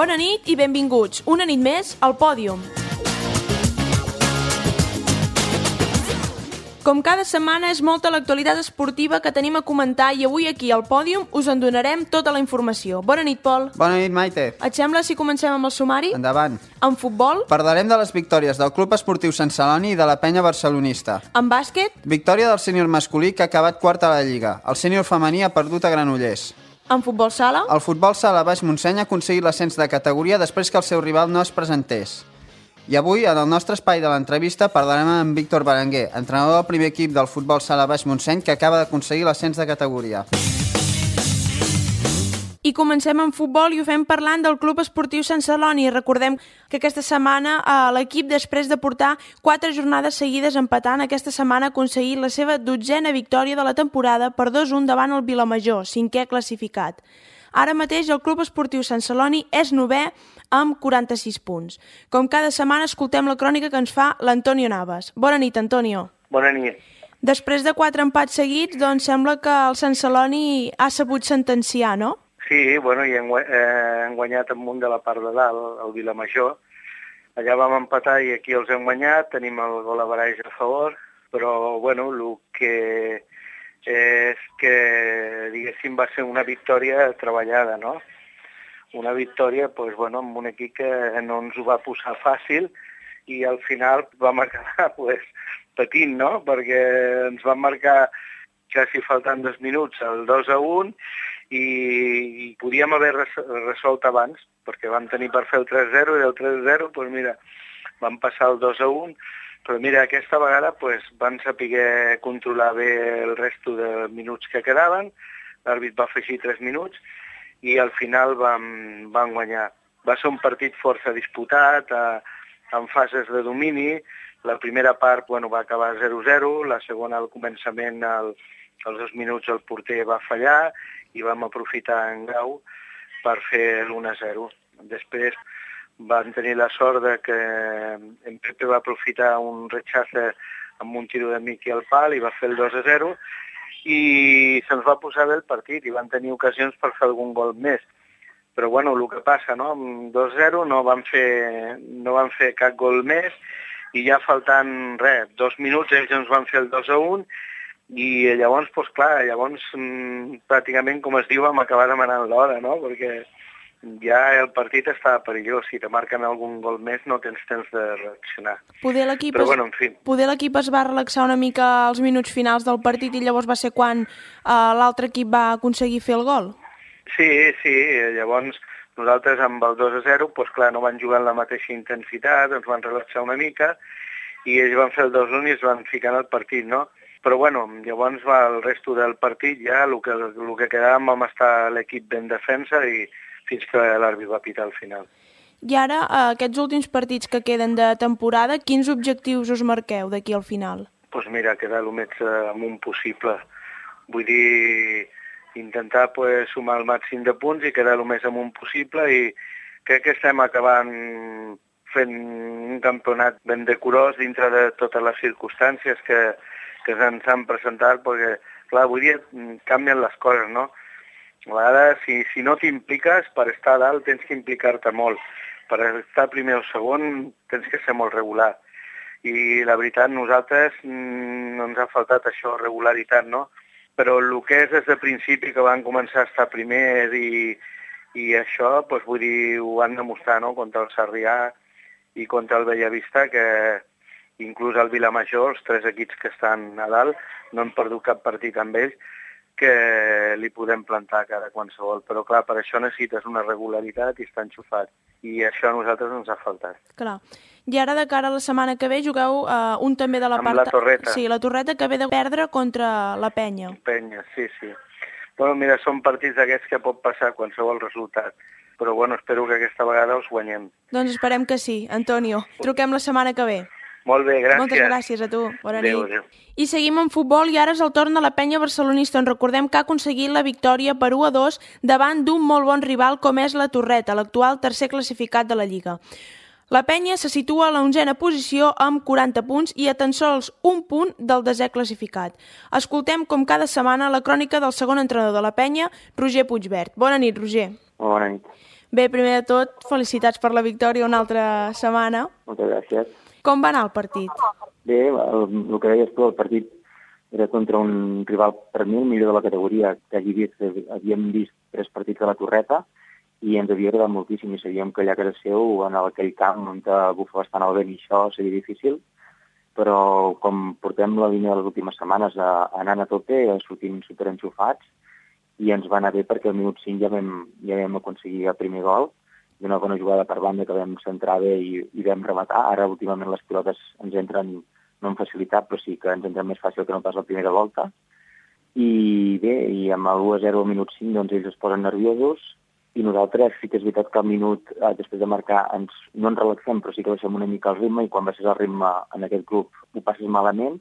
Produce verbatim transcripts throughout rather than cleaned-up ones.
Bona nit i benvinguts, una nit més al Pòdium. Com cada setmana és molta l'actualitat esportiva que tenim a comentar i avui aquí al Pòdium us en donarem tota la informació. Bona nit, Pol. Bona nit, Maite. Et sembla si comencem amb el sumari? Endavant. En futbol? Parlarem de les victòries del Club Esportiu Sant Celoni i de la penya barcelonista. En bàsquet? Victòria del sènior masculí que ha acabat quart a la Lliga. El sènior femení ha perdut a Granollers. En futbol sala? El futbol sala Baix Montseny ha aconseguit l'ascens de categoria després que el seu rival no es presentés. I avui, en el nostre espai de l'entrevista, parlarem amb Víctor Berenguer, entrenador del primer equip del futbol sala Baix Montseny que acaba d'aconseguir l'ascens de categoria. I comencem amb futbol i ho fem parlant del Club Esportiu Sant Celoni. Recordem que aquesta setmana eh, l'equip, després de portar quatre jornades seguides empatant, aquesta setmana ha aconseguit la seva dotzena victòria de la temporada per dos a un davant el Vilamajor, cinquè classificat. Ara mateix el Club Esportiu Sant Celoni és novè amb quaranta-sis punts. Com cada setmana escoltem la crònica que ens fa l'Antonio Navas. Bona nit, Antonio. Bona nit. Després de quatre empats seguits, doncs sembla que el Sant Celoni ha sabut sentenciar, no? Sí, bueno, i hem, eh, hem guanyat amunt de la part de dalt, el Vilamajor. Allà vam empatar i aquí els hem guanyat, tenim el gol average a favor, però, bueno, el que és que, diguéssim, va ser una victòria treballada, no? Una victòria, doncs, bueno, amb un equip que no ens ho va posar fàcil i al final vam acabar, doncs, patint, no? Perquè ens van marcar quasi faltant dos minuts el dos a un i, i podíem haver resolt abans, perquè vam tenir per fer el tres a zero i el tres a zero, doncs mira, vam passar el dos a un, però mira, aquesta vegada doncs, van saber controlar bé el resto de minuts que quedaven, l'àrbit va afegir tres minuts i al final vam, vam guanyar. Va ser un partit força disputat, a, en fases de domini. La primera part bueno, va acabar zero a zero, la segona al començament, el, als dos minuts el porter va fallar i vam aprofitar en Grau per fer l'un a zero. Després van tenir la sort de que en Pepe va aprofitar un rechace amb un tiro de Miqui al pal i va fer el dos a zero i se'ns va posar bé el partit i van tenir ocasions per fer algun gol més. Però bueno, el que passa, no? Amb dos a zero no van fer, no van fer cap gol més i ja faltant res, dos minuts ells ens van fer el dos a un i llavors, doncs clar, llavors mmm, pràcticament, com es diu, vam acabar demanant l'hora, no? Perquè ja el partit estava perillós, si te marquen algun gol més no tens temps de reaccionar. Poder l'equip Però es, bueno, en fi. Poder l'equip es va relaxar una mica als minuts finals del partit i llavors va ser quan uh, l'altre equip va aconseguir fer el gol? Sí, sí, llavors nosaltres amb el dos a zero, doncs clar, no van jugar amb la mateixa intensitat, ens van relaxar una mica i ells van fer el dos a un i es van ficar en el partit, no? Però bueno, llavors va el resto del partit ja, el que, el que quedàvem vam estar l'equip ben defensa i fins que l'àrbit va pitar al final. I ara, aquests últims partits que queden de temporada, quins objectius us marqueu d'aquí al final? Doncs pues mira, quedar el més amunt possible. Vull dir, intentar pues, sumar el màxim de punts i quedar el més amunt possible i crec que estem acabant fent un campionat ben decorós dintre de totes les circumstàncies que, que ens han presentat, perquè, clar, avui dia canvien les coses, no? A vegades, si, si no t'impliques, per estar a dalt tens que implicar-te molt. Per estar primer o segon tens que ser molt regular. I la veritat, nosaltres mm, no ens ha faltat això, regularitat, no? Però el que és des de principi que van començar a estar primers i, i això, doncs, vull dir, ho han demostrat, no? Contra el Sarrià i contra el Bellavista, que inclús el Vilamajor, els tres equips que estan a dalt, no han perdut cap partit amb ells, que li podem plantar cara a qualsevol. Però clar, per això necessites una regularitat i estar enxufat. I això a nosaltres ens ha faltat. Clar. I ara de cara a la setmana que ve jugueu uh, un també de la Amb part... la Torreta. Sí, la Torreta que ve de perdre contra la Penya. Penya, sí, sí. Bueno, mira, són partits d'aquests que pot passar qualsevol resultat. Però bueno, espero que aquesta vegada els guanyem. Doncs esperem que sí, Antonio. Truquem la setmana que ve. Molt bé, gràcies. Moltes gràcies a tu. Bona adéu, nit. Adéu. I seguim en futbol i ara és el torn de la penya barcelonista. En recordem que ha aconseguit la victòria per u a dos davant d'un molt bon rival com és la Torreta, l'actual tercer classificat de la Lliga. La penya se situa a la onzena posició amb quaranta punts i a tan sols un punt del desè classificat. Escoltem com cada setmana la crònica del segon entrenador de la penya, Roger Puigvert. Bona nit, Roger. Bona nit. Bé, primer de tot, felicitats per la victòria una altra setmana. Moltes gràcies. Com va anar el partit? Bé, el, el que deies tu, el partit era contra un rival per mi, el millor de la categoria, que hagi vist, havíem vist tres partits de la Torreta i ens havia agradat moltíssim i sabíem que allà a casa seu, en aquell camp on bufa bastant el vent i això seria difícil, però com portem la línia de les últimes setmanes a, anant a tope, sortint superenxufats, i ens va anar bé perquè al minut cinc ja vam, ja vam aconseguir el primer gol, d'una bona jugada per banda que vam centrar bé i, i vam rematar. Ara últimament les pilotes ens entren no amb facilitat, però sí que ens entren més fàcil que no pas la primera volta. I bé, i amb el u a zero al minut cinc doncs ells es posen nerviosos i nosaltres sí que és veritat que al minut, eh, després de marcar, ens, no ens relaxem, però sí que baixem una mica el ritme i quan baixes el ritme en aquest grup ho passes malament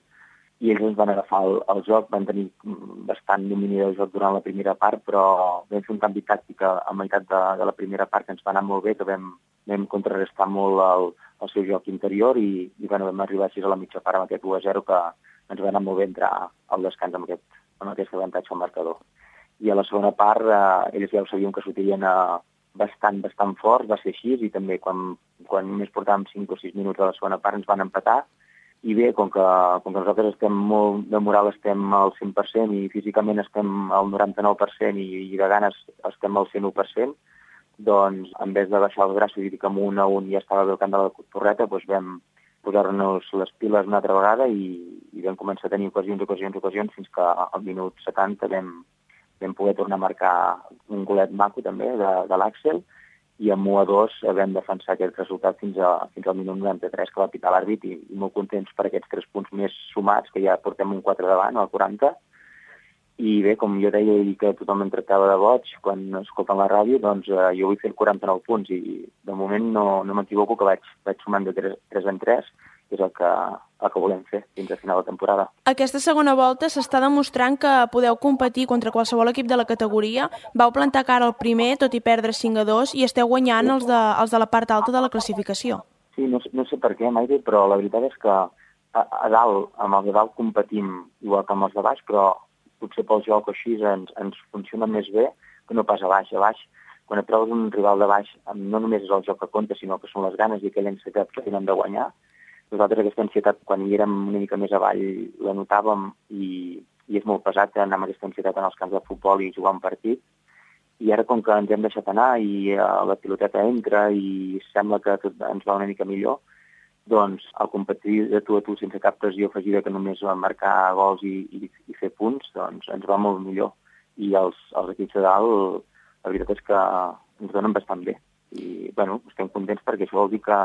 i ells ens van agafar el, el joc, van tenir bastant domini del joc durant la primera part, però vam fer un canvi tàctic a, a meitat de, de la primera part que ens va anar molt bé, que vam, vam contrarrestar molt el, el seu joc interior i, i bueno, vam arribar així a la mitja part amb aquest u a zero que ens va anar molt bé entrar al descans amb aquest, amb aquest avantatge al marcador. I a la segona part eh, ells ja ho sabíem que sortirien eh, bastant, bastant forts, va ser així, i també quan, quan només portàvem cinc o sis minuts a la segona part ens van empatar. I bé, com que, com que nosaltres estem molt de moral, estem al cent per cent i físicament estem al noranta-nou per cent i, i de ganes estem al cent u per cent, doncs en vez de baixar els braços i dir que amb un a un ja estava bé el camp de la Torreta, doncs vam posar-nos les piles una altra vegada i, i vam començar a tenir ocasions, ocasions, ocasions, fins que al minut setanta vam, vam poder tornar a marcar un golet maco també de, de l'Àxel, i amb u a dos vam defensar aquest resultat fins, a, fins al minut noranta-tres que va pitar l'àrbit i, i molt contents per aquests tres punts més sumats, que ja portem un quatre davant, al quaranta. I bé, com jo deia i que tothom em tractava de boig quan escolten la ràdio, doncs eh, jo vull fer quaranta-nou punts i de moment no, no m'equivoco que vaig, vaig sumant de tres en tres, que és el que, el que volem fer fins a final de temporada. Aquesta segona volta s'està demostrant que podeu competir contra qualsevol equip de la categoria. Vau plantar cara al primer, tot i perdre cinc a dos, i esteu guanyant els de, els de la part alta de la classificació. Sí, no, no sé per què, Maite, però la veritat és que a, a dalt, amb els de dalt competim igual que amb els de baix, però potser pel joc així ens, ens funciona més bé que no pas a baix. A baix, quan et trobes un rival de baix, no només és el joc que compta, sinó que són les ganes i aquella ansietat que tenen de guanyar. Nosaltres aquesta ansietat, quan hi érem una mica més avall, la notàvem i, i és molt pesat anar amb aquesta ansietat en els camps de futbol i jugar un partit. I ara, com que ens hem deixat anar i uh, la piloteta entra i sembla que tot ens va una mica millor, doncs al competir de tu a tu sense cap pressió afegida que només va marcar gols i, i, i fer punts, doncs ens va molt millor. I els, els equips de dalt, la veritat és que ens donen bastant bé. I, bueno, estem contents perquè això vol dir que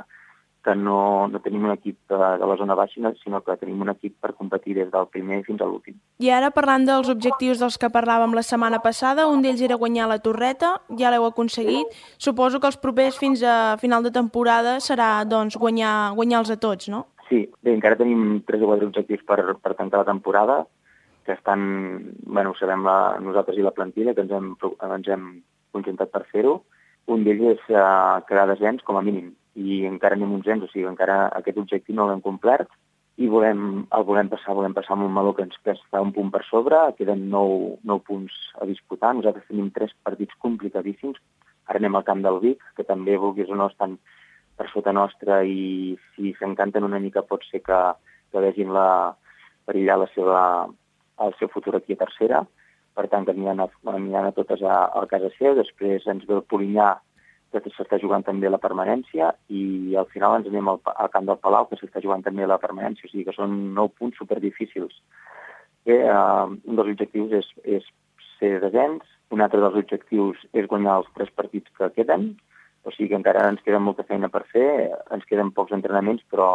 que no, no tenim un equip de, de la zona baixa, sinó que tenim un equip per competir des del primer fins a l'últim. I ara, parlant dels objectius dels que parlàvem la setmana passada, un d'ells era guanyar la Torreta, ja l'heu aconseguit. Suposo que els propers fins a final de temporada serà doncs, guanyar, guanyar-los a tots, no? Sí, bé, encara tenim tres o quatre objectius per, per tancar la temporada, que estan, bueno, ho sabem la, nosaltres i la plantilla, que ens hem, ens hem concentrat per fer-ho. Un d'ells és uh, quedar descens, com a mínim, i encara anem uns ens, o sigui, encara aquest objectiu no l'hem complert i volem, el volem passar, volem passar amb un Maló que ens està un punt per sobre, queden nou, nou punts a disputar, nosaltres tenim tres partits complicadíssims, ara anem al camp del Vic, que també, vulguis o no, estan per sota nostra i si s'encanten una mica pot ser que, que vegin la, perillar la seva, el seu futur aquí a tercera, per tant que aniran a, aniran a totes a, a casa seu, després ens ve el Polinyà, que s'està jugant també la permanència, i al final ens anem al, al camp del Palau, que s'està jugant també la permanència, o sigui que són nou punts superdifícils. Bé, eh, un dels objectius és, és ser descens, un altre dels objectius és guanyar els tres partits que queden, o sigui que encara ens queda molta feina per fer, ens queden pocs entrenaments, però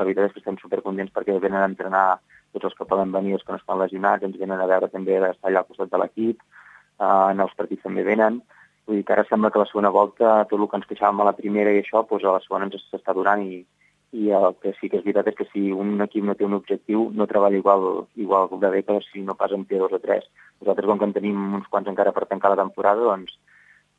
la veritat és que estem supercontents perquè venen a entrenar tots els que poden venir, els que no estan lesionats, ens venen a veure també d'estar allà al costat de l'equip, eh, en els partits també venen. Vull dir que ara sembla que la segona volta, tot el que ens queixàvem a la primera i això, doncs a la segona ens s'està donant i, i el que sí que és veritat és que si un equip no té un objectiu no treballa igual, igual de bé que si no pas en P dos o tres. Nosaltres, com que en tenim uns quants encara per tancar la temporada, doncs,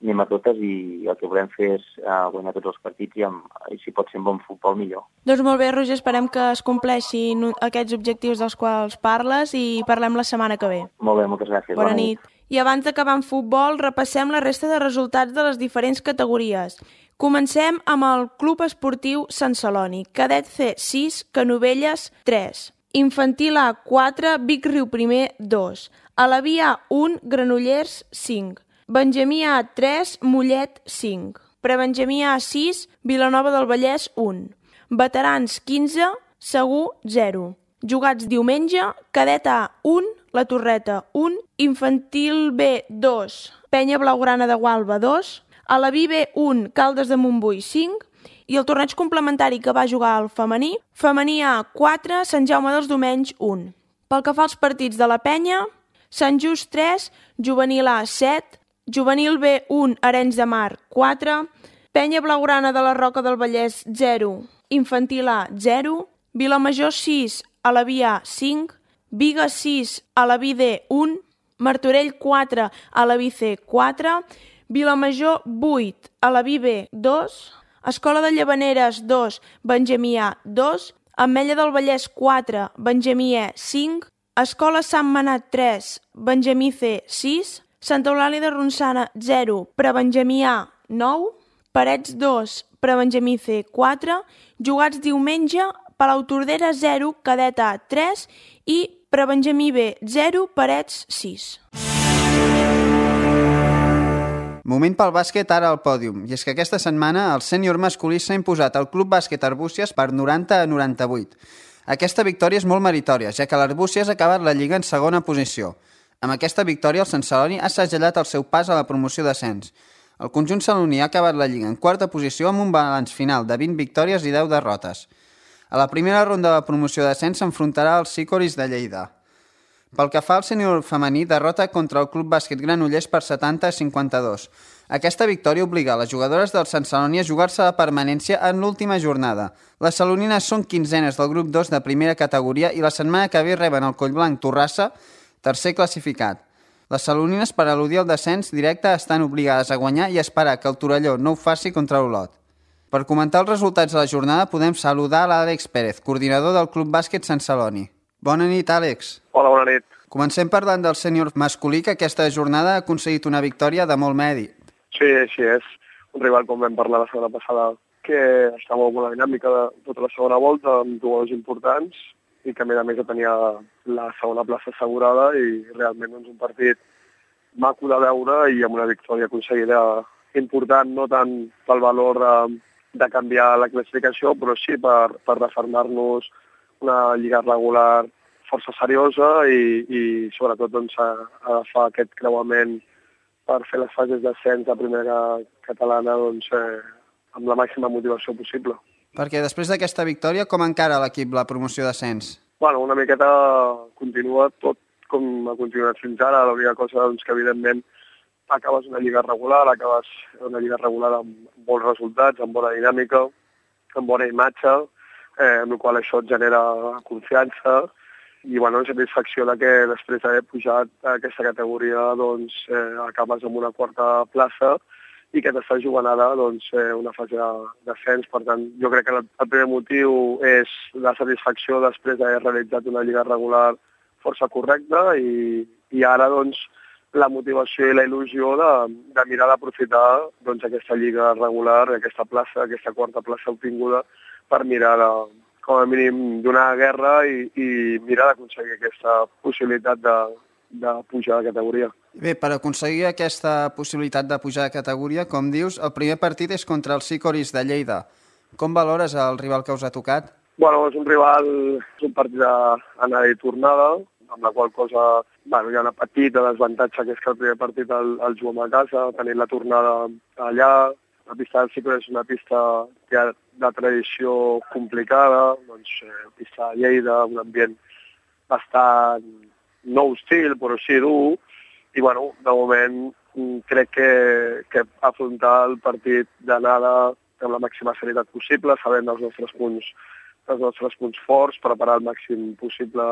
anem a totes i el que volem fer és uh, guanyar tots els partits i, amb, i si pot ser amb bon futbol millor. Doncs molt bé, Roger, esperem que es compleixin aquests objectius dels quals parles i parlem la setmana que ve. Molt bé, moltes gràcies. Bona, Bona nit. nit. I abans d'acabar amb futbol, repassem la resta de resultats de les diferents categories. Comencem amb el Club Esportiu Sant Celoni, Cadet C sis, Canovelles tres, Infantil A quatre, Vic Riu Primer dos, Alaví A un, Granollers cinc, Benjamí A tres, Mollet cinc, Prebenjamí A sis, Vilanova del Vallès un, Veterans quinze, Segur zero. Jugats diumenge, Cadet A un, La Torreta un, Infantil B dos, Penya Blaugrana de Gualba dos, Alaví B un, Caldes de Montbui cinc, i el torneig complementari que va jugar el femení, Femení A quatre, Sant Jaume dels Domenys un. Pel que fa als partits de la Penya, Sant Just tres, Juvenil A set, Juvenil B un, Arenys de Mar quatre, Penya Blaugrana de la Roca del Vallès zero, Infantil A zero, Vilamajor sis, Alaví A cinc, Biga sis, Alaví D un, Martorell quatre, Alaví C quatre, Vilamajor vuit, Alaví B dos, Escola de Llavaneres dos, Benjamí A dos, Ametlla del Vallès quatre, Benjamí E cinc, Escola Sant Manat tres, Benjamí C sis, Santa Eulàlia de Ronçana zero, Prebenjamí A nou, Parets dos, Prebenjamí C quatre, jugats diumenge, Palau Tordera zero, Cadet A tres i Prebenjamí B zero, Parets sis. Moment pel bàsquet ara al pòdium, i és que aquesta setmana el sènior masculí s'ha imposat al Club Bàsquet Arbúcies per noranta a noranta-vuit. Aquesta victòria és molt meritòria, ja que l'Arbúcies ha acabat la Lliga en segona posició. Amb aquesta victòria el Sant Celoni ha segellat el seu pas a la promoció d'ascens. El conjunt celoní ha acabat la Lliga en quarta posició amb un balanç final de vint victòries i deu derrotes. A la primera ronda de la promoció d'ascens s'enfrontarà als Sicoris de Lleida. Pel que fa al sènior femení, derrota contra el Club Bàsquet Granollers per setanta a cinquanta-dos. Aquesta victòria obliga les jugadores del Sant Celoni a jugar-se la permanència en l'última jornada. Les celonines són quinzenes del grup dos de primera categoria i la setmana que ve reben el Collblanc Torrassa, tercer classificat. Les celonines, per al·ludir al descens directe, estan obligades a guanyar i esperar que el Torelló no ho faci contra Olot. Per comentar els resultats de la jornada podem saludar l'Àlex Pérez, coordinador del Club Bàsquet Sant Celoni. Bona nit, Àlex. Hola, bona nit. Comencem parlant del sènior masculí, que aquesta jornada ha aconseguit una victòria de molt mèrit. Sí, així és. Un rival, com vam parlar la setmana passada, que està molt bona dinàmica de tota la segona volta, amb jugadors importants, i que a més a més tenia la segona plaça assegurada i realment doncs, un partit maco de veure i amb una victòria aconseguida important, no tant pel valor de, de canviar la classificació, però sí per, per refermar-nos una lliga regular força seriosa i, i sobretot doncs, agafar aquest creuament per fer les fases d'ascens a primera catalana doncs, eh, amb la màxima motivació possible. Perquè després d'aquesta victòria, com encara l'equip la promoció d'ascens? Bueno, una miqueta continua tot com ha continuat fins ara. L'única cosa doncs, que evidentment acabes una lliga regular, acabes una lliga regular amb bons resultats, amb bona dinàmica, amb bona imatge, eh, amb la qual això et genera confiança i bueno, satisfacció de que després d'haver pujat a aquesta categoria doncs, eh, acabes amb una quarta plaça i que t'estàs jugant ara doncs, eh, una fase d'ascens. Per tant, jo crec que el, el primer motiu és la satisfacció després d'haver realitzat una lliga regular força correcta i, i ara doncs, la motivació i la il·lusió de, de mirar d'aprofitar doncs, aquesta lliga regular, aquesta plaça, aquesta quarta plaça obtinguda per mirar de, com a mínim donar guerra i, i mirar d'aconseguir aquesta possibilitat de, de pujar de categoria. Bé, per aconseguir aquesta possibilitat de pujar de categoria, com dius, el primer partit és contra els Sicoris de Lleida. Com valores el rival que us ha tocat? Bueno, és un rival, és un partit d'anada i tornada, amb la qual cosa bueno, hi ha una petita desavantatge, que és que el primer partit el, el juguem a casa, tenint la tornada allà. La pista del Sicoris és una pista que ha de tradició complicada, doncs, eh, pista de Lleida, un ambient bastant no hostil, però sí dur, i bueno, de moment crec que, que afrontar el partit d'anada amb la màxima serietat possible, sabent els nostres punts, els nostres punts forts, preparar al màxim possible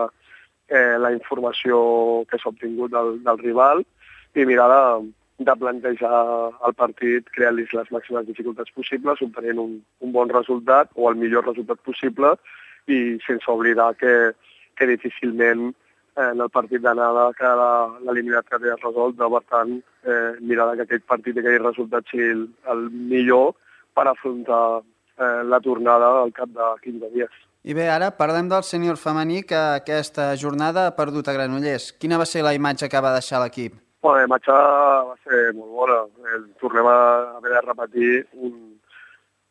eh, la informació que s'ha obtingut del, del rival i mirar de, de plantejar el partit creant-li les màximes dificultats possibles, obtenint un, un bon resultat o el millor resultat possible i sense oblidar que, que difícilment eh, en el partit d'anada que l'eliminat quedi resolt, per tant, eh, mirar que aquest partit i aquell resultat sigui el, el millor per afrontar eh, la tornada al cap de quinze dies. I bé, ara parlem del sènior femení que aquesta jornada ha perdut a Granollers. Quina va ser la imatge que va deixar l'equip? Bueno, la imatge va ser molt bona. Eh, tornem a haver de repetir un,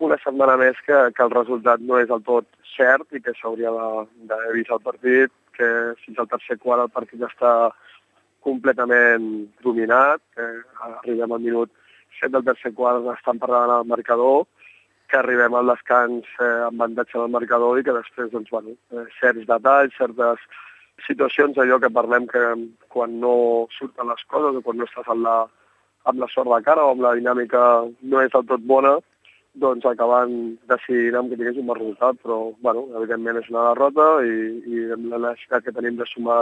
una setmana més que, que el resultat no és del tot cert i que s'hauria d'haver vist el partit, que fins al tercer quart el partit està completament dominat, que arribem al minut set del tercer quart estan parlant al marcador, que arribem al descans eh, amb avantatge del marcador i que després, doncs, bueno, eh, certs detalls, certes situacions, allò que parlem que quan no surten les coses o quan no estàs amb la, amb la sort de cara o amb la dinàmica no és del tot bona, doncs acaben decidint amb que tingués un bon resultat, però, bueno, evidentment és una derrota i, i amb la necessitat que tenim de sumar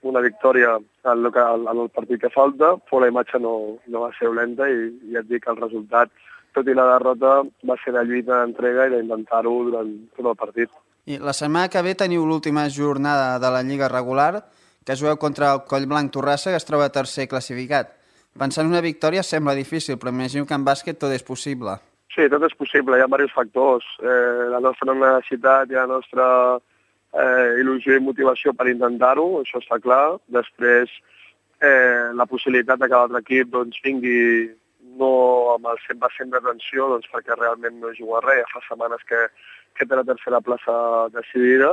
una victòria en el, en el partit que falta, però la imatge no, no va ser dolenta i, i et dic que el resultat, tot i la derrota, va ser de lluita d'entrega i d'intentar-ho durant tot el partit. I la setmana que ve teniu l'última jornada de la Lliga regular, que jugueu contra el Collblanc Torrassa, que es troba tercer classificat. Pensar en una victòria sembla difícil, però imagino que en bàsquet tot és possible. Sí, tot és possible, hi ha diversos factors. Eh, la nostra necessitat i la nostra eh, il·lusió i motivació per intentar-ho, això està clar. Després, eh, la possibilitat que l'altre equip doncs, vingui no amb el cent per cent d'atenció, doncs, perquè realment no juga res, ja fa setmanes que, que té la tercera plaça decidida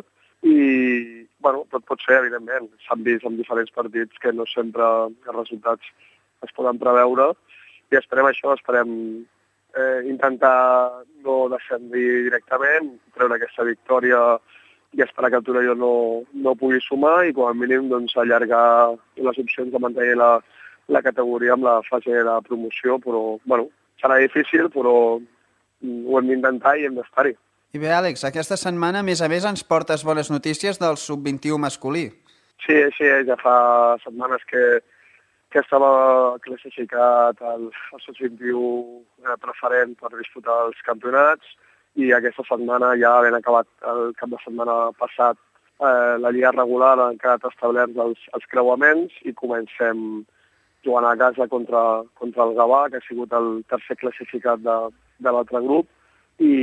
i bueno, tot pot ser, evidentment. S'han vist en diferents partits que no sempre els resultats es poden preveure i esperem això, esperem eh, intentar no descendir directament, treure aquesta victòria i esperar que el Torelló no, no pugui sumar i com a mínim doncs, allargar les opcions de mantenir la la categoria amb la fase de promoció, però bueno, serà difícil, però ho hem d'intentar i hem d'estar-hi. I bé, Àlex, aquesta setmana, a més a més, ens portes bones notícies del sub vint-i-u masculí. Sí, sí, ja fa setmanes que, que estava classificat el, el sub vint-i-u preferent per disputar els campionats i aquesta setmana, ja havent acabat el cap de setmana passat, eh, la lliga regular ha quedat establerts els, els creuaments i comencem jugant a casa contra, contra el Gavà, que ha sigut el tercer classificat de, de l'altre grup, i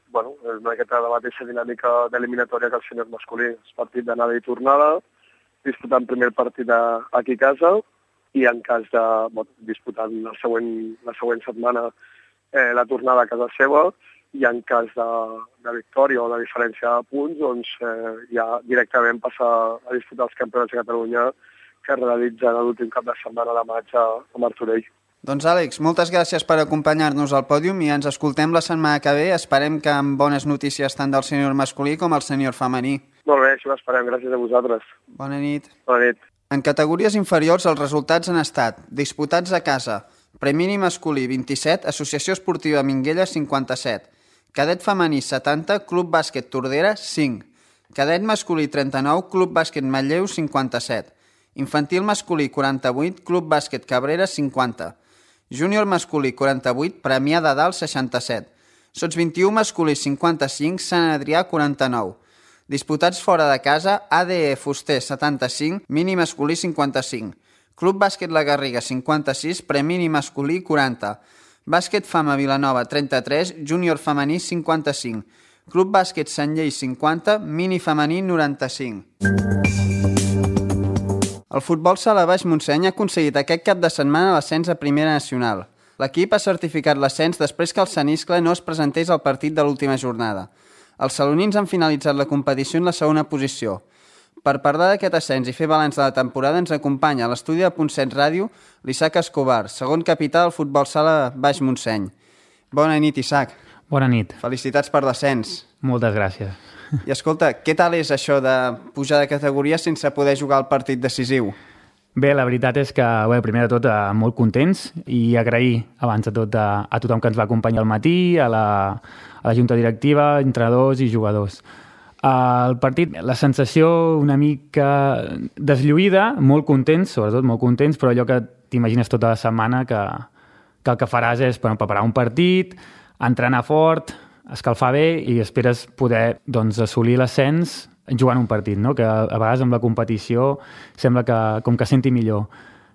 bueno, és una miqueta de la mateixa dinàmica d'eliminatòria que el sènior masculí. És partit d'anada i tornada, disputant primer partit a, aquí a casa, i en cas de bueno, disputant la següent, la següent setmana eh, la tornada a casa seva, i en cas de, de victòria o de diferència de punts, doncs eh, ja directament passar a disputar els campionats de Catalunya que realitzen l'últim cap de setmana de maig a Martorell. Doncs Àlex, moltes gràcies per acompanyar-nos al pòdium i ens escoltem la setmana que ve. Esperem que amb bones notícies tant del sènior masculí com el sènior femení. Molt bé, això ho esperem. Gràcies a vosaltres. Bona nit. Bona nit. En categories inferiors els resultats han estat disputats a casa. Premini masculí vint-i-set, Associació Esportiva Minguella cinquanta-set. Cadet femení setanta, Club Bàsquet Tordera cinc. Cadet masculí trenta-nou, Club Bàsquet Manlleu cinquanta-set. Infantil masculí quaranta-vuit, Club Bàsquet Cabrera cinquanta. Júnior masculí quaranta-vuit, Premià de Dalt seixanta-set. Sots vint-i-u masculí cinquanta-cinc, Sant Adrià quaranta-nou. Disputats fora de casa, A D E Fuster setanta-cinc, Mini masculí cinquanta-cinc. Club Bàsquet La Garriga cinquanta-sis, Premini masculí quaranta. Bàsquet Fama Vilanova trenta-tres, Júnior femení cinquanta-cinc. Club Bàsquet Sant Llei cinquanta, Mini femení noranta-cinc. El futbol sala Baix Montseny ha aconseguit aquest cap de setmana l'ascens a Primera Nacional. L'equip ha certificat l'ascens després que el Saniscle no es presentés al partit de l'última jornada. Els salonins han finalitzat la competició en la segona posició. Per parlar d'aquest ascens i fer balanç de la temporada ens acompanya a l'estudi de Punt set Ràdio l'Isaac Escobar, segon capità del futbol sala Baix Montseny. Bona nit, Isaac. Bona nit. Felicitats per l'ascens. Moltes gràcies. I escolta, què tal és això de pujar de categoria sense poder jugar el partit decisiu? Bé, la veritat és que, bé, primer de tot, eh, molt contents i agrair abans de tot a, a tothom que ens va acompanyar al matí, a la, a la junta directiva, entrenadors i jugadors. El partit, la sensació una mica deslluïda, molt contents, sobretot molt contents, però allò que t'imagines tota la setmana que, que el que faràs és bueno, preparar un partit, entrenar fort, escalfar bé i esperes poder doncs, assolir l'ascens jugant un partit, no? Que a vegades amb la competició sembla que com que senti millor.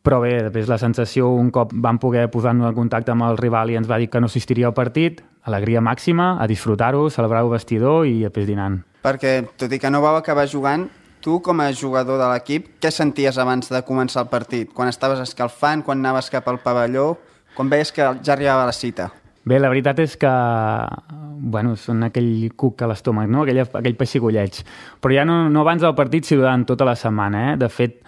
Però bé, després la sensació, un cop vam poder posar-nos en contacte amb el rival i ens va dir que no assistiria al partit, alegria màxima, a disfrutar-ho, celebrar-ho vestidor i després dinant. Perquè, tot i que no vau acabar jugant, tu com a jugador de l'equip, què senties abans de començar el partit? Quan estaves escalfant, quan anaves cap al pavelló, quan veies que ja arribava la cita? Bé, la veritat és que bueno, són aquell cuc a l'estómac, no? aquell, aquell pessigolleig. Però ja no, no abans del partit, sinó durant tota la setmana. Eh? De fet,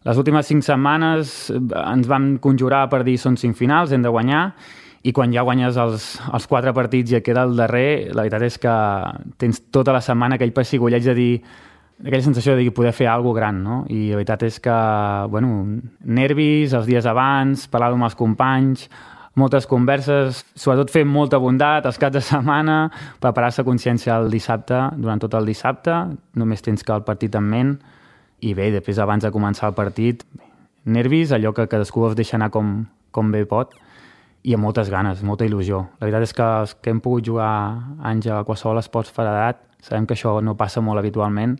les últimes cinc setmanes ens vam conjurar per dir són cinc finals, hem de guanyar, i quan ja guanyes els, els quatre partits i et queda el darrer, la veritat és que tens tota la setmana aquell pessigolleig de dir, aquella sensació de dir poder fer alguna cosa gran, no? I la veritat és que, bueno, nervis els dies abans, parlar amb els companys, moltes converses, sobretot fer molta bondat els caps de setmana, preparar-se a consciència el dissabte, durant tot el dissabte, només tens que el partit en ment, i bé, després abans de començar el partit, nervis, allò que cadascú es deixa anar com, com bé pot, i amb moltes ganes, molta il·lusió. La veritat és que els que hem pogut jugar anys a qualsevol esports federat, sabem que això no passa molt habitualment,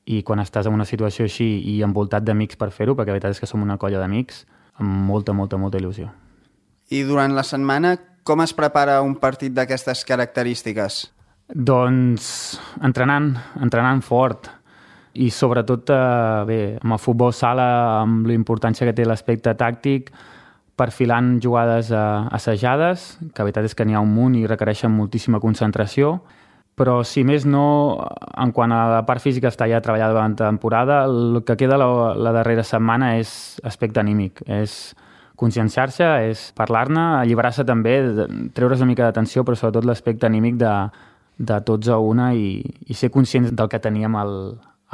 i quan estàs en una situació així i envoltat d'amics per fer-ho, perquè la veritat és que som una colla d'amics, amb molta, molta, molta il·lusió. I durant la setmana, com es prepara un partit d'aquestes característiques? Doncs entrenant, entrenant fort, i sobretot, eh, bé, amb el futbol sala, amb la importància que té l'aspecte tàctic, perfilant jugades eh, assajades, que la veritat és que n'hi ha un munt i requereixen moltíssima concentració, però si més no, en quant a la part física està ja treballada durant la temporada, el que queda la, la darrera setmana és aspecte anímic, és conscienciar-se, és parlar-ne, alliberar-se també, treure's una mica d'atenció, però sobretot l'aspecte anímic de, de tots a una i, i ser conscients del que teníem el,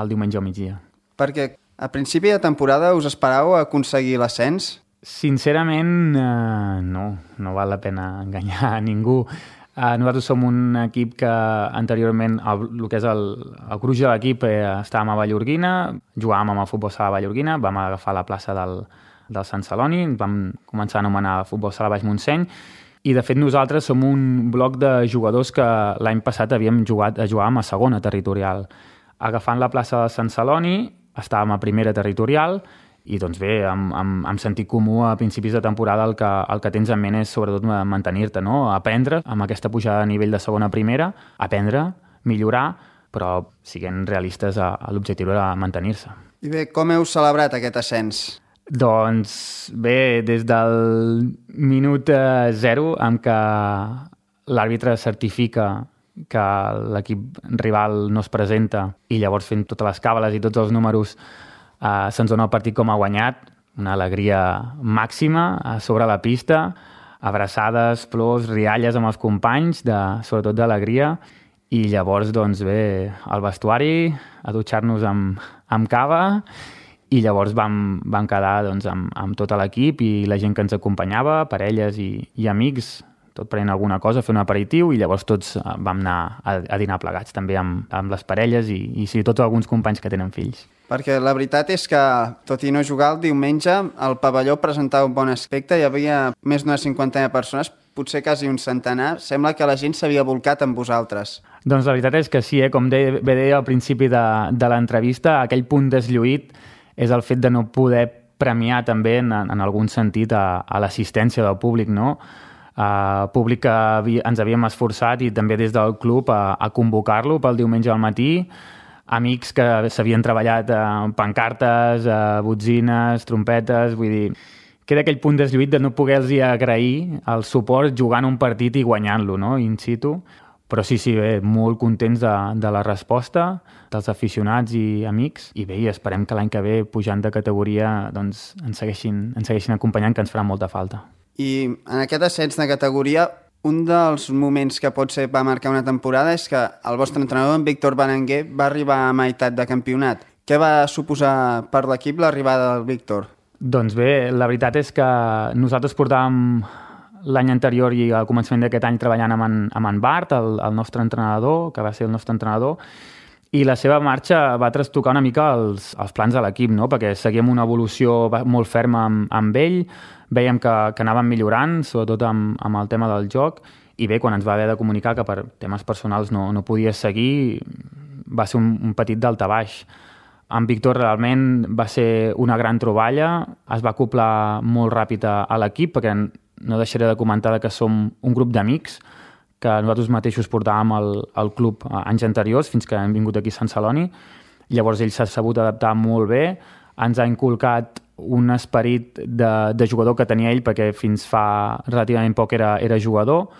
el diumenge al migdia. Perquè a principi de temporada us esperàveu aconseguir l'ascens? Sincerament, eh, no, no val la pena enganyar a ningú. Eh, nosaltres som un equip que anteriorment, el, el que és el, el gruix de l'equip, eh, estàvem a Vallorguina, jugàvem amb el futbol sala Vallorguina, vam agafar la plaça del, del Sant Celoni, vam començar a anomenar futbol sala Baix Montseny, i de fet nosaltres som un bloc de jugadors que l'any passat havíem jugat, jugàvem a segona territorial. Agafant la plaça del Sant Celoni, estàvem a primera territorial, i doncs bé, amb, amb, amb sentit comú a principis de temporada el que, el que tens en ment és sobretot mantenir-te, no? Aprendre amb aquesta pujada de nivell de segona a primera, aprendre, millorar, però siguent realistes a, a l'objectiu de mantenir-se. I bé, com heu celebrat aquest ascens? Doncs bé, des del minut zero en què l'àrbitre certifica que l'equip rival no es presenta i llavors fent totes les càbales i tots els números Uh, se'ns dona el partit com a guanyat, una alegria màxima a sobre la pista, abraçades, plors, rialles amb els companys, de, sobretot d'alegria, i llavors, doncs bé, al vestuari, a dutxar-nos amb, amb cava, i llavors vam, vam quedar doncs, amb, amb tot l'equip i la gent que ens acompanyava, parelles i, i amics, tot prenent alguna cosa, fer un aperitiu, i llavors tots vam anar a, a dinar plegats, també amb, amb les parelles i, i sí, tots alguns companys que tenen fills. Perquè la veritat és que, tot i no jugar, el diumenge el pavelló presentava un bon aspecte, hi havia més d'una cinquantena de persones, potser quasi un centenar. Sembla que la gent s'havia volcat amb vosaltres. Doncs la veritat és que sí, eh? Com bé deia al principi de, de l'entrevista, aquell punt deslluït és el fet de no poder premiar també en, en algun sentit a, a l'assistència del públic, no? Uh, públic que havia, ens havíem esforçat i també des del club a, a convocar-lo pel diumenge al matí, amics que s'havien treballat amb pancartes, botzines, trompetes, vull dir, queda aquell punt deslluït de no poder-los agrair el suport jugant un partit i guanyant-lo, no?, in situ. Però sí, sí, bé, molt contents de, de la resposta dels aficionats i amics, i bé, i esperem que l'any que ve, pujant de categoria, doncs ens segueixin, ens segueixin acompanyant, que ens farà molta falta. I en aquest ascens de categoria, un dels moments que potser va marcar una temporada és que el vostre entrenador, en Víctor Berenguer, va arribar a meitat de campionat. Què va suposar per l'equip l'arribada del Víctor? Doncs bé, la veritat és que nosaltres portàvem l'any anterior i al començament d'aquest any treballant amb en, amb en Bart, el, el nostre entrenador, que va ser el nostre entrenador, i la seva marxa va trastocar una mica els, els plans de l'equip, no? Perquè seguíem una evolució molt ferma amb, amb ell, veiem que, que anàvem millorant, sobretot amb, amb el tema del joc, i bé, quan ens va haver de comunicar que per temes personals no, no podia seguir, va ser un, un petit daltabaix. Amb Víctor realment va ser una gran troballa, es va acoplar molt ràpid a, a l'equip, perquè no deixaré de comentar que som un grup d'amics, que nosaltres mateixos portàvem al, al club anys anteriors, fins que hem vingut aquí a Sant Celoni. Llavors ell s'ha sabut adaptar molt bé, ens ha inculcat un esperit de, de jugador que tenia ell, perquè fins fa relativament poc era, era jugador,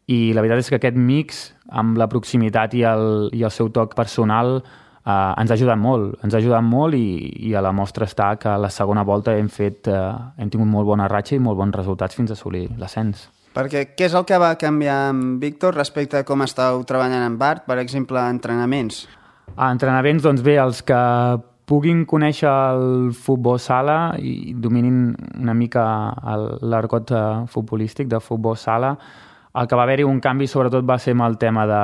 i la veritat és que aquest mix, amb la proximitat i el, i el seu toc personal, eh, ens ha ajudat molt, ens ha ajudat molt i, i a la mostra està que a la segona volta hem, fet, eh, hem tingut molt bona ratxa i molt bons resultats fins a assolir l'ascens. Perquè què és el que va canviar amb Víctor respecte a com estàu treballant amb Bart, per exemple, a entrenaments? A entrenaments, doncs bé, els que puguin conèixer el futbol sala i dominin una mica l'argot futbolístic de futbol sala, el que va haver-hi un canvi sobretot va ser amb el tema de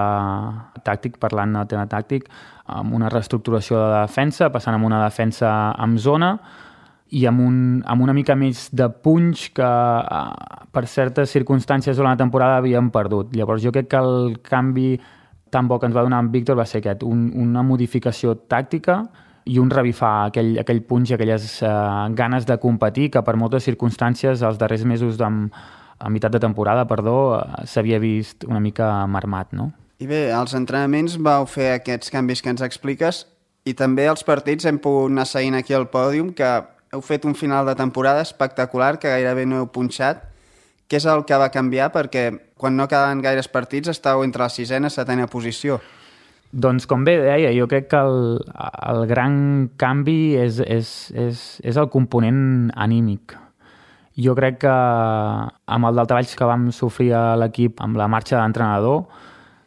tàctic, parlant del tema tàctic, amb una reestructuració de defensa, passant amb una defensa amb zona, i amb, un, amb una mica més de punx que per certes circumstàncies durant la temporada havíem perdut. Llavors jo crec que el canvi tan bo que ens va donar en Víctor va ser aquest, un, una modificació tàctica i un revifar aquell, aquell punx i aquelles eh, ganes de competir que per moltes circumstàncies els darrers mesos de, a meitat de temporada perdó, s'havia vist una mica marmat, no? I bé, als entrenaments vau fer aquests canvis que ens expliques i també als partits hem pogut anar seguint aquí al pòdium que heu fet un final de temporada espectacular que gairebé no heu punxat. Què és el que va canviar? Perquè quan no quedaven gaires partits estàu entre la sisena i setena posició. Doncs com bé deia, jo crec que el, el gran canvi és, és, és, és el component anímic. Jo crec que amb el daltabaix que vam sofrir a l'equip amb la marxa d'entrenador,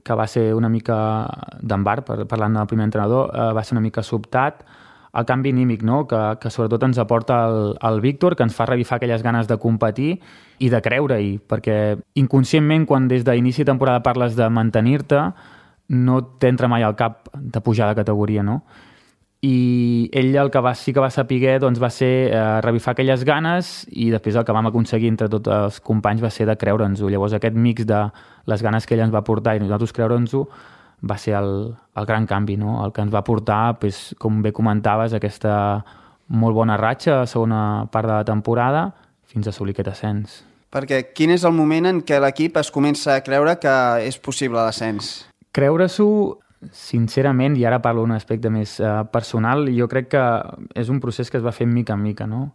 que va ser una mica d'en Bart, parlant del primer entrenador, eh, va ser una mica sobtat, el canvi anímic, no? que, que sobretot ens aporta el, el Víctor, que ens fa revifar aquelles ganes de competir i de creure-hi, perquè inconscientment quan des d'inici de temporada parles de mantenir-te, no t'entra mai al cap de pujar de categoria, no? I ell el que va, sí que va saber doncs, va ser eh, revifar aquelles ganes i després el que vam aconseguir entre tots els companys va ser de creure'ns-ho. Llavors aquest mix de les ganes que ell ens va portar i nosaltres creure'ns-ho va ser el, el gran canvi, no? El que ens va portar, pues, com bé comentaves, aquesta molt bona ratxa a la segona part de la temporada fins a assolir aquest ascens. Perquè quin és el moment en què l'equip es comença a creure que és possible l'ascens? Creure-s'ho, sincerament, i ara parlo d'un aspecte més eh, personal, jo crec que és un procés que es va fer mica en mica, no?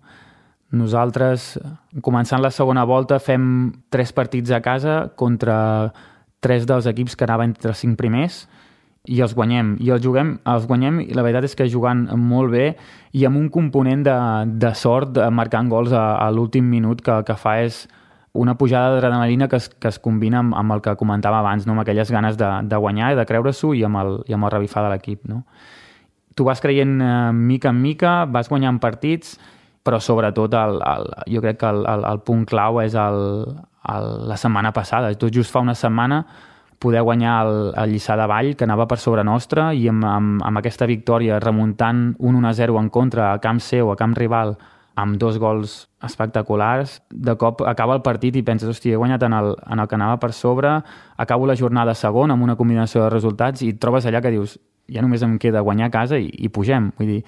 Nosaltres, començant la segona volta, fem tres partits a casa contra tres dels equips que anaven entre els cinc primers i els guanyem. I els, juguem, els guanyem i la veritat és que jugant molt bé i amb un component de, de sort marcant gols a, a l'últim minut que el que fa és una pujada d'adrenalina que, es, que es combina amb, amb el que comentava abans, no? Amb aquelles ganes de, de guanyar i de creure-s'ho i amb el, i amb el revifar de l'equip. No? Tu vas creient eh, mica en mica, vas guanyant partits, però sobretot el, el, jo crec que el, el, el punt clau és el, el, la setmana passada. Tot just fa una setmana poder guanyar el, el Lliçà de Vall, que anava per sobre nostra, i amb, amb, amb aquesta victòria remuntant un un a zero en contra a camp seu, a camp rival, amb dos gols espectaculars, de cop acaba el partit i penses, hòstia, he guanyat en el, en el que anava per sobre, acabo la jornada segon amb una combinació de resultats i et trobes allà que dius, ja només em queda guanyar a casa i, i pugem. Vull dir,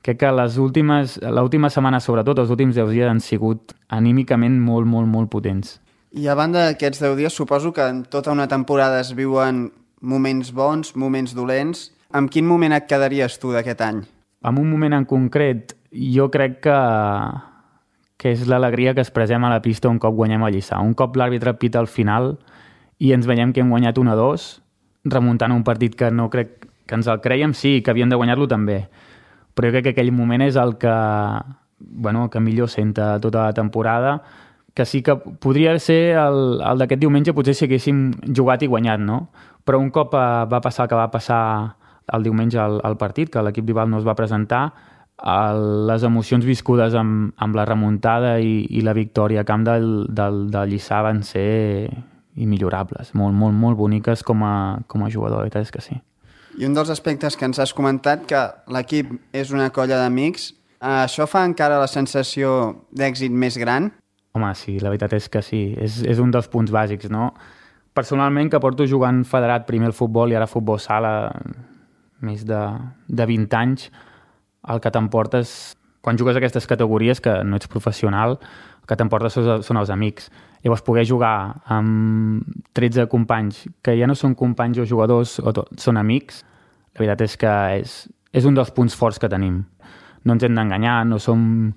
crec que les últimes, l'última setmana, sobretot, els últims deu dies han sigut anímicament molt, molt, molt potents. I a banda d'aquests deu dies, suposo que en tota una temporada es viuen moments bons, moments dolents. Amb quin moment et quedaries tu d'aquest any? En un moment en concret, jo crec que, que és l'alegria que expressem a la pista un cop guanyem el Lliçà. Un cop l'àrbitre pita al final i ens veiem que hem guanyat un a dos, remuntant un partit que no crec que ens el creiem, sí, que havíem de guanyar-lo també. Però jo crec que aquell moment és el que, bueno, que millor senta tota la temporada, que sí que podria ser el, el d'aquest diumenge, potser si haguéssim jugat i guanyat, no? Però un cop eh, va passar el que va passar el diumenge al, al partit, que l'equip rival no es va presentar, el, les emocions viscudes amb, amb la remuntada i, i la victòria a camp del, del, del Lliçà van ser immillorables, molt, molt, molt boniques com a, com a jugador, la veritat és que sí. I un dels aspectes que ens has comentat, que l'equip és una colla d'amics, això fa encara la sensació d'èxit més gran? Home, sí, la veritat és que sí. És, és un dels punts bàsics, no? Personalment, que porto jugant federat primer el futbol i ara futbol sala més de, de vint anys, el que t'emportes, quan jugues a aquestes categories, que no ets professional, el que t'emportes són, són els amics. Llavors, poder jugar amb tretze companys, que ja no són companys o jugadors, o tot, són amics, la veritat és que és, és un dels punts forts que tenim. No ens hem d'enganyar, no som...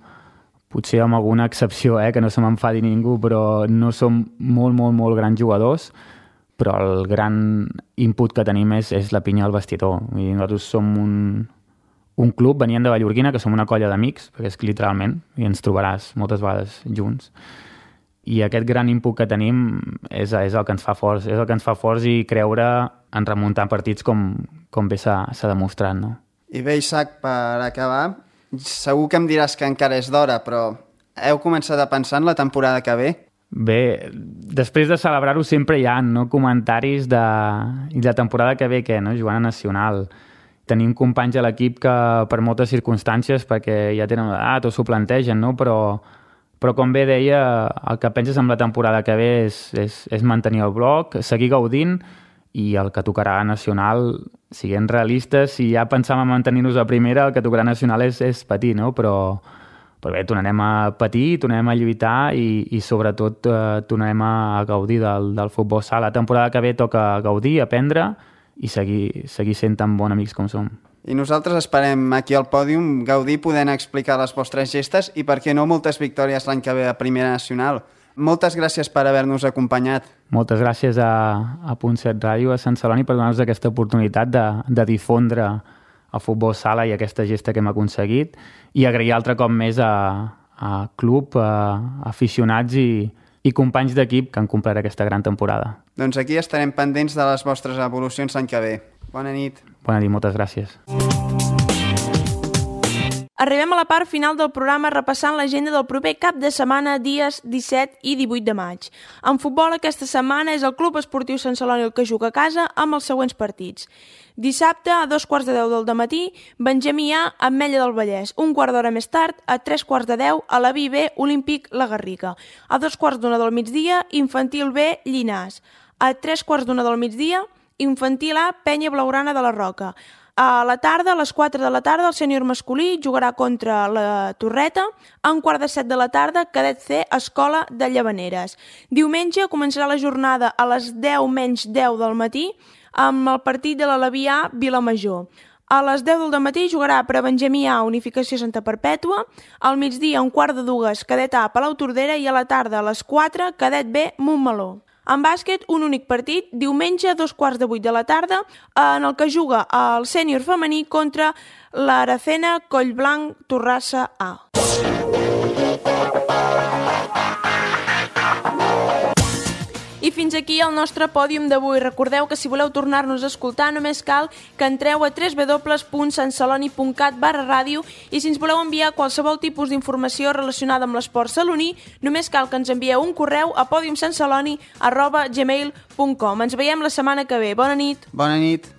Potser amb alguna excepció, eh, que no se m'enfadi ningú, però no som molt, molt, molt grans jugadors, però el gran input que tenim és, és la pinya al vestidor. I nosaltres som un, un club, venien de Vallorguina, que som una colla d'amics, perquè és literalment, i ens trobaràs moltes vegades junts. I aquest gran input que tenim és, és el que ens fa forts, és el que ens fa forts i creure en remuntar partits com, com bé s'ha demostrat, no? I bé, Isaac, per acabar, segur que em diràs que encara és d'hora, però heu començat a pensar en la temporada que ve? Bé, després de celebrar-ho sempre hi ha no, comentaris de... I la temporada que ve, què, no? Jugant a Nacional. Tenim companys a l'equip que per moltes circumstàncies, perquè ja tenen edat o s'ho plantegen, no? Però, però com bé deia, el que penses amb la temporada que ve és, és, és mantenir el bloc, seguir gaudint, i el que tocarà a Nacional, siguem realistes, si ja pensàvem en mantenir-nos a primera, el que tocarà a Nacional és, és patir, no? Però, però bé, tornarem a patir, tornarem a lluitar i, i sobretot eh, tornarem a gaudir del, del futbol sala. La temporada que ve toca gaudir, aprendre i seguir, seguir sent tan bons amics com som. I nosaltres esperem aquí al pòdium gaudir podent explicar les vostres gestes i, per què no, moltes victòries l'any que ve a Primera Nacional. Moltes gràcies per haver-nos acompanyat. Moltes gràcies a, a Punt set Ràdio, a Sant Celoni, per donar-nos aquesta oportunitat de, de difondre el futbol sala i aquesta gesta que hem aconseguit, i agrair altre cop més a, a club, a aficionats i, i companys d'equip que han complert aquesta gran temporada. Doncs aquí estarem pendents de les vostres evolucions l'any que ve. Bona nit. Bona nit, moltes gràcies. Arribem a la part final del programa repassant l'agenda del proper cap de setmana, dies disset i divuit de maig. En futbol, aquesta setmana és el Club Esportiu Sant Celoni el que juga a casa amb els següents partits. Dissabte, a dos quarts de deu del dematí, Benjamí A, Ametlla del Vallès. Un quart d'hora més tard, a tres quarts de deu, a la B B, Olímpic La Garriga. A dos quarts d'una del migdia, Infantil B, Llinàs. A tres quarts d'una del migdia, Infantil A, Penya Blaugrana de la Roca. A la tarda, a les quatre de la tarda, el sènior masculí jugarà contra la Torreta. A un quart de set de la tarda, Cadet C, Escola de Llavaneres. Diumenge començarà la jornada a les deu menys deu del matí amb el partit de l'Aleví A, Vilamajor. A les deu del matí jugarà per a Benjamí A, Unificació Santa Perpètua. Al migdia, un quart de dues, Cadet A, Palau Tordera. I a la tarda, a les quatre, Cadet B, Montmeló. En bàsquet, un únic partit, diumenge a dos quarts de vuit de la tarda, en el que juga el sènior femení contra l'Aracena Collblanc Torrassa A. I fins aquí el nostre pòdium d'avui. Recordeu que si voleu tornar-nos a escoltar només cal que entreu a w w w punt santceloni punt cat barra ràdio i si ens voleu enviar qualsevol tipus d'informació relacionada amb l'esport saloní només cal que ens envieu un correu a podium santceloni arroba gmail punt com. Ens veiem la setmana que ve. Bona nit. Bona nit.